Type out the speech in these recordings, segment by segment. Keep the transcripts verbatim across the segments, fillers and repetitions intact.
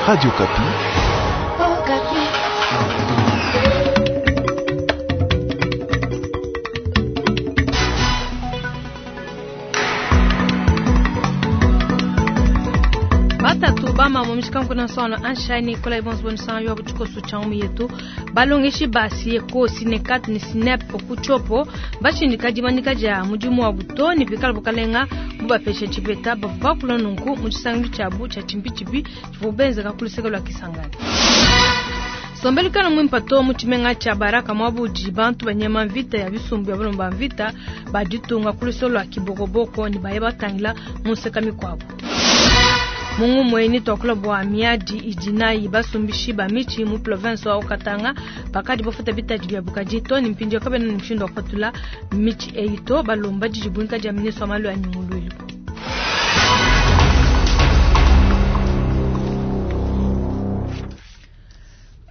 Radio Okapi. Batatu bamama mushikanku na sono anshani kola ibonso bonisa yo buchikosu cha yetu balongeshi basi ko sinekat ni sinep kuchopo bashindika dimanyika dia mudimu wa buto ni pikala bukalenga bubapeshe chipeta bavakula nunku mu tshisangilu tshiabu tshia tshimpi tshivua kakuluseka lwa Kisangani. Sombelikana mwimpa to mu tshimenga tshia Baraka mwabudi bantu banyema mvita ya bisumbu ya balomba mvita baditunga kulusolo lwa Kibokoboko ni baye batangila mu nseka mikuabu. Mungu mweni twakula bwa miadi idinayi basumbishi ba michi mu province wa Katanga bakadi bafuta bitaji bya bukaji to ni mpinjo kabena ni mshindo wa michi eito balomba jijibunka ja ministre wa malu ya nyungululu.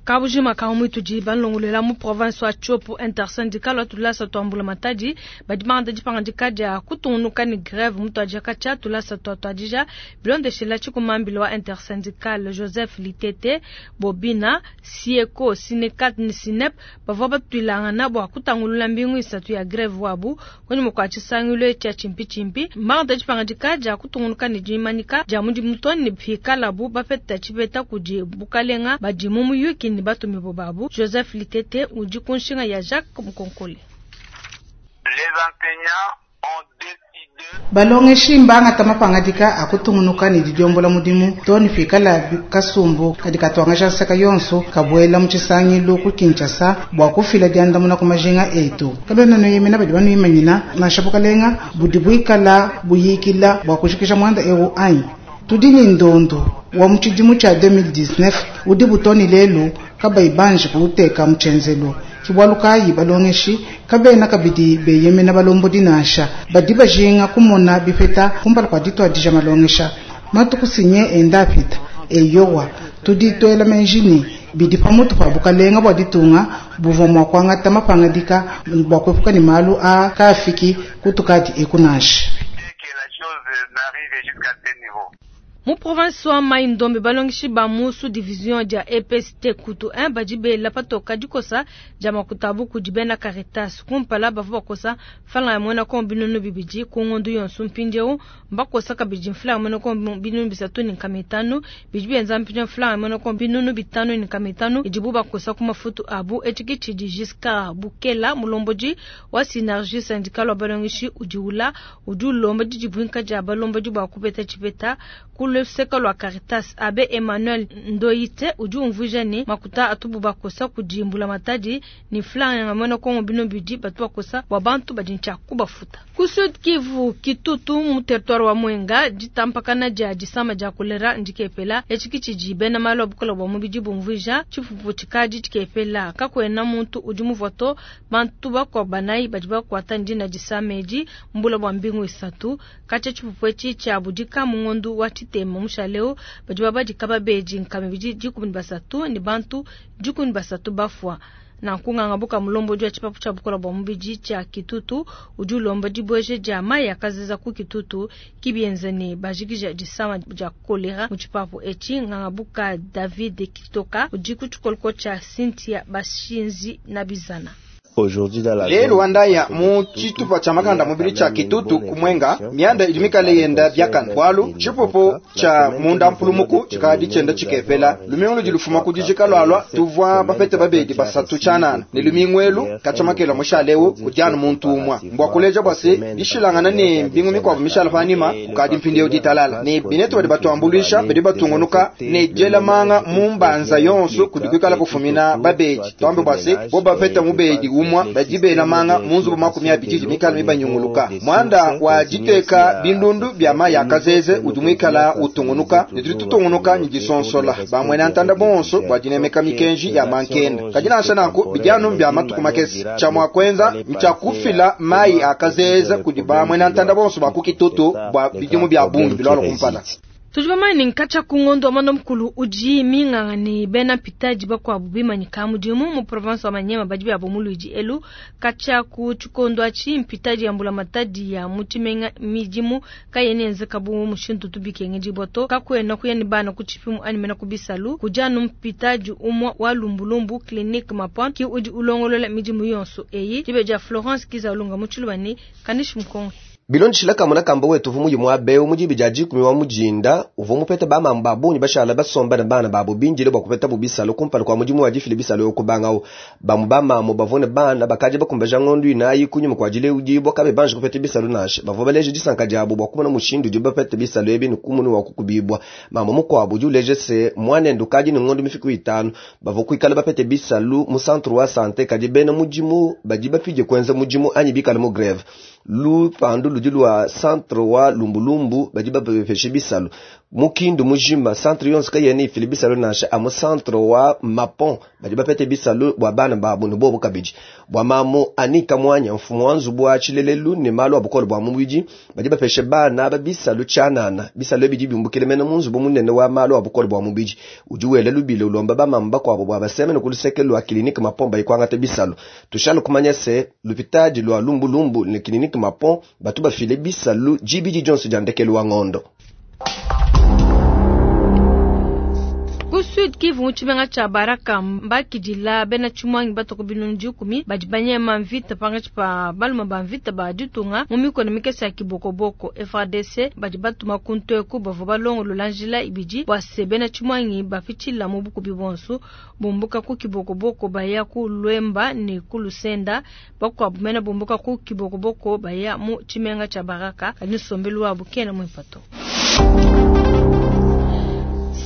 Kabujima ka mwituji balongolela mu province wa Tshopo intersyndical wa tulasa twambula matadi badimanda dipangandika dia kutungunuka ni grève mutu adjaka tshia tulasa twa twadija bilondeshela tshikumambila wa intersyndical Joseph Litete Bobina Sieko Sinekat ni Sinep bavua batuilangana bua kutangulula mbingu isatu ya grève wabu kwenye mukwa tshisangilu tshia chimpi manda dipangandika dia kutungunuka ni dimanyika dia mudi mutoni pikalabu bapeta tshipeta kudi bukalenga badi mu muyuki ni batumi bobabu Joseph Litete udi kunshinga ya Jacques Mukonkole. Les enseignants ont décidé balongeshi mbangata mapangadika akutungunuka ni didiombola mudimu toni fikala kasumbu kadi katwangasha nseka yonso kabuela mu tshisangilu ku Kinshasa bua kufila diandamuna ku majinga etu kabena noyemena badi banuimanyina nansha bukalenga budi buikala buyikila bua kushikisha mwanda ewu anyi tudi ni ndondo wa mu tshidimu tshia deux mille dix-neuf udi butoni lelu kabayi banji kuuteka mu tshenzelu tshibwalu kayi balongeshi kabena kabidi beyemena balombodi nansha badi bajinga kumona bipeta kumpala kua ditwadija malongesha matuku sinye enda apita eyowa tudi twela menji ni bidi pamutu pa bukalenga bua ditunga buvua mua kuangata mapangadika bua kuepuka ni malu a kaafiki kutukadi eku nansha. Mu province wa Mai-Ndombe balongeshi ba mu sous-division dia E P S T Kutu un badi bela patoka dikosa dia makutabu kudi bena Caritas kumpala bavua bakosa mfalanga ya muena kongo binunu bibidi ku ngondu yonso mpindieu mbakosa kabidi mfalanga ya muena kongo binunu bisatu ne nkama itanu bidi bienza mpindieu mfalanga ya muena kongo binunu bitanu ne nkama itanu idibu bakosa ku mafutu abu etshiki tshidi Giscard Bukela mulombodi wa Synergie syndicale wa balongeshi udi ula udi ulomba didibuinka dia balombodi bua kupeta tshipeta ku luseka lwa Caritas. Abe Emmanuel Ndoyite udi umvuija ne makuta atubu bakosa kudimbula matadi ni flanga ya mwana kongo bino bidi batu bakosa bua bantu badi ntshia kubafuta. Ku Sud Kivu Kitutu mu territoire wa Mwenga ditampakana dia disama dia kolera ndikepela etshiki tshidi bena malu abukola bua mubidi bumvuija tshipupu tshikadi tshikepela kakuena muntu udi muvoto bantu bakwa banayi badi bakuata ndina disama edi mbula bua mbingu isatu katshia tshipupu etshi tshia budika mu ngondu wa tshitema mushaleo badi babadika babedi nkama bidi dikumi ne basatu ne bantu dikumi ne basatu bafua. Na nkunganga buka mulombo wa tshipapu tshia bukola bua mubidi tshia Kitutu udi ulomba dibweje dia mayi akazeza ku Kitutu kibienza ne bajikija disama dia kolera mu tshipapu etshi. Nganga buka David Kitoka udi ku tshikoloko tshia Cynthia Bashinzi na Bizana. Lelu wandaya mu tshitupa tshia makanda mubili tshia Kitutu kumwenga mianda idi mikale yenda byakana bwalu tshipupu tshia munda mpulumuku tshikadi tshienda tshikepela lumingu ludi lufuma ku dijika lwalwa tuvua bapete babedi basatu tshianana ne lumingu elu katshamakela mushaleu kudianu muntu umwa mbwa kuleja bwa se dishilangana ne mbingu mikuabu mishala panima kukadi mpindieu ditalala ne binetu badi batuambuluisha badi batungunuka ne diela manga mu mbanza yonso kudi kuikala kufumina babedi twambe bwa se bo bapeta mubedi umwa badi bela manga munzubu makumi abidi mikala mibanyunguluka mwanda wa diteka bindundu bya mayi akazeze udi mwikala utungunuka ne tudi tutungunuka ni disonsola bamwena ntanda bonso bwa dinemeka mikenji ya mankenda kadi nansha nanku bidianu bya matuku makese tshia mua kuenza ntshia kufila mayi akazeze kudi bamwena ntanda bonso ba ku Kitutu bua bidimu bya bungi bilwala kumpala. Tudi bamanye nkatsha ku ngondo wa mwanda mukulu udi minganga ne bena mpitadi bakuabu bimanyika mudimu mu province wa Maniema badi byabo mu Luidi elu katsha ku tshikondo atshi mpitadi ya mbulamatadi ya mu tshimenga midimu kayena yenzeka bu mushindu tubikenge diboto kakwena kuya ne bana ku tshipimu anyi mena ku bisalu kujanu mpitadi umwa wa lumbulumbu clinique Mapon ki udi ulongolola midimu yonso eyi dibeja Florence Kizalunga mu Tshilubani kanishi mkongo Bilondeshila kamuna kamba wetu vumu yimwa beu mujibi jaji kumi wa mujinda uvo mupete ba mamba bunyi bashala basomba na bana babo binjile bwa kupeta bubisalo kumpala kwa mujimu wa jifile bisalo yokubangao bamu ba mamo bavone bana bakaje bakumbaja ngondu inayi kunyuma kwa jile ujibwa kabe banje kupeta bisalo nashe bavo baleje disanka jabo bwa kumona mushindu jibapete bisalo ebi nukumunu wa kukubibwa mamo mukwabo juleje se mwana ndukaji ni ngondu mifiku itano bavo kuikala bapete bisalu mu centre wa santé kaji bena mujimu bajiba pije kwenza mujimu anyi bikala mu grève lupandu ludi lwa centre wa lumbulumbu badi bapepeshe bisalu mukindu mujima centre yonse kayene ifile bisalu nansha amu centre wa Mapon badi bapete bisalu bwa bana babu ne bobu kabidi bwa mamu anika mwanya mfumu wa nzubu wa tshilelelu ne malu abukolo bwa mubidi badi bapeshe bana ba bisalu tshanana bisalu bidi biumbukile mena mu nzubu munene wa malu abukolo bwa mubidi udi wele lubile ulomba bamama bakwabo bwa basemene ku luseke lwa clinique Mapon bayikwangata bisalu tushalu kumanya se lupitadi lwa lumbulumbu ne clinique Mapon batu bafile bisalu jibidi Johnson jandekelu wa ngondo. Ku Sud Kivu mu cha Baraka mbakidila bena tshimwangi batoko binunu dikumi badi banyema mvita pangatshi pa baluma ba mvita ba ditunga mu mikono mikese ya kibokoboko F A D C badi batuma kuntu eku bavua balongolola njila ibidi bua se bena tshimwangi bapitshila mu bukubi bonso bumbuka ku kibokoboko baya ku Lwemba ne ku Lusenda bakuabu mena bumbuka ku kibokoboko baya mu tshimenga cha Baraka kadi nsombelu wabu kena muipato.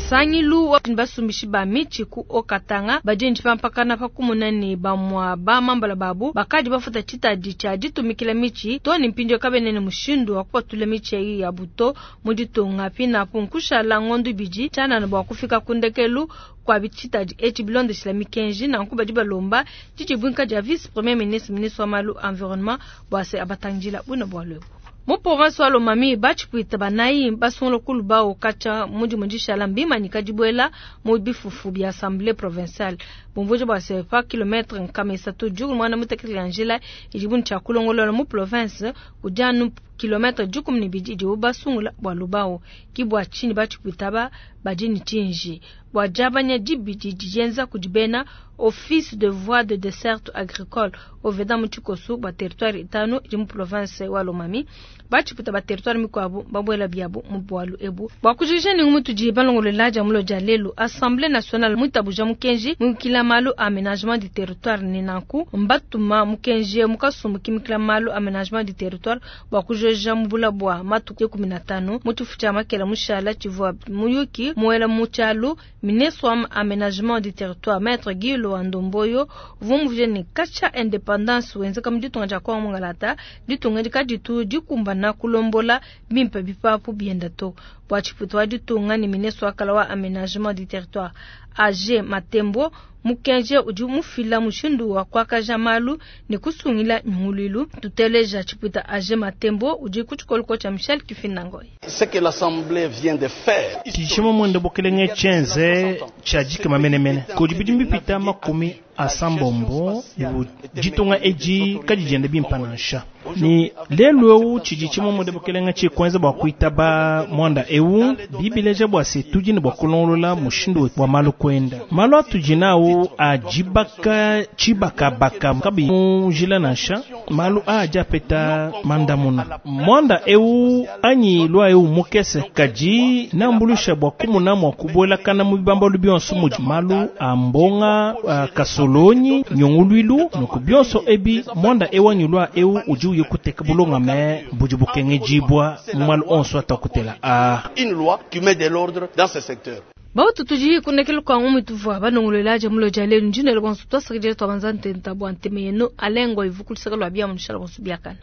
Sangilu wa basumbishi ba michi ku Okatanga bajinji pampakana pa kumuna ne bamwa ba mambala babu bakadi bafuta chitadi cha ditumikila michi to ni mpindio kabenene mushindu wa kupatula michi eyi ya buto mu ditunga pina punkushala ngondu biji chana na bwa kufika kundekelu kwa bichitadi echi bilondeshila mikenji na nkuba dibalomba didibwinka dia vice premier ministre ministre wa malu environnement bwa se abatangila buna bwa lwebo. Mu province wa Lomami bachipwita banayi basungula kuluba okacha mudi mundishala mbima nikadibwela mu bifufu bya assemblée provinciale bumvujo bwa sepa kilometre nkama isatu jugu mwana mutekele njila ijibu ncha kulongolola mu province kujanu kilometre jukum ni bidi idibu basungula bwa lubao kibwa chini bachipwita ba bajini chinji bwa jabanya dibidi dijenza kudibena office de voie de desserte agricole oveda mu tshikoso ba territoire itano di mu province wa Lomami bachiputa ba territoire mikwabu babwela biabu mu bwalu ebu bwa kujija ni mutu di balongolola ja mulo ja lelu assemblée nationale mutabuja mukenji mukila malu aménagement du territoire ni nanku mbatuma mukenji mukasumbu kimikila malu aménagement du territoire bwa kujoja mubula bwa matuku kumi na tano mutufu cha makela mushala chivwa muyuki muela muchalu ministre wa aménagement du territoire maître Guy Loandomboyo vumvuje ni kacha independance wenzeka mditunga ja kwa mungalata ditunga dikaditu dikumbana kulombola bimpe bipapu bienda to bwa chiputo wa ditunga ni ministre wa kala wa aménagement du territoire A G Matembo mukenje udi mufila mushindu wa kwakaja malu ni kusungila nyungulilu tuteleja chiputa A G Matembo udi kuchikoloko cha Michel Kifinangoy. Ce que l'assemblée vient de faire tishimo mwende bokelenge chenze chajika mamenemene kodi bipita makumi asambombo ibu jitunga eji kajijende bimpanansha ni lelu ewu chiji chimo mwende bokelenge chikwenza bwa kuitaba mwanda ewu bibileja bwa se tujini bwa kulongolola mushindu wa malu kwenda malu atujinawo ajibaka chibakabaka kabi mujila nansha malu aja peta mandamuna mwanda ewu anyi lwa ewu mukese kaji nambulusha bwa kumuna mwa kubwela kana mu bibambalu bionso muji malu ambonga kasolonyi nyongulwilu nuku bionso ebi mwanda ewu anyi lwa ewu uji uye kuteka bulonga me buji bukenge jibwa malu onso atakutela a une loi qui met de l'ordre dans ce secteur. Bautu tuji kunekelu kwa ngumi tuvua banongolola ja mulo ja lelu njinelo bonso twasakidile twabanza ntenta bwa nteme yenu alengo ivukulisaka lwa bia munishala bonso biakana.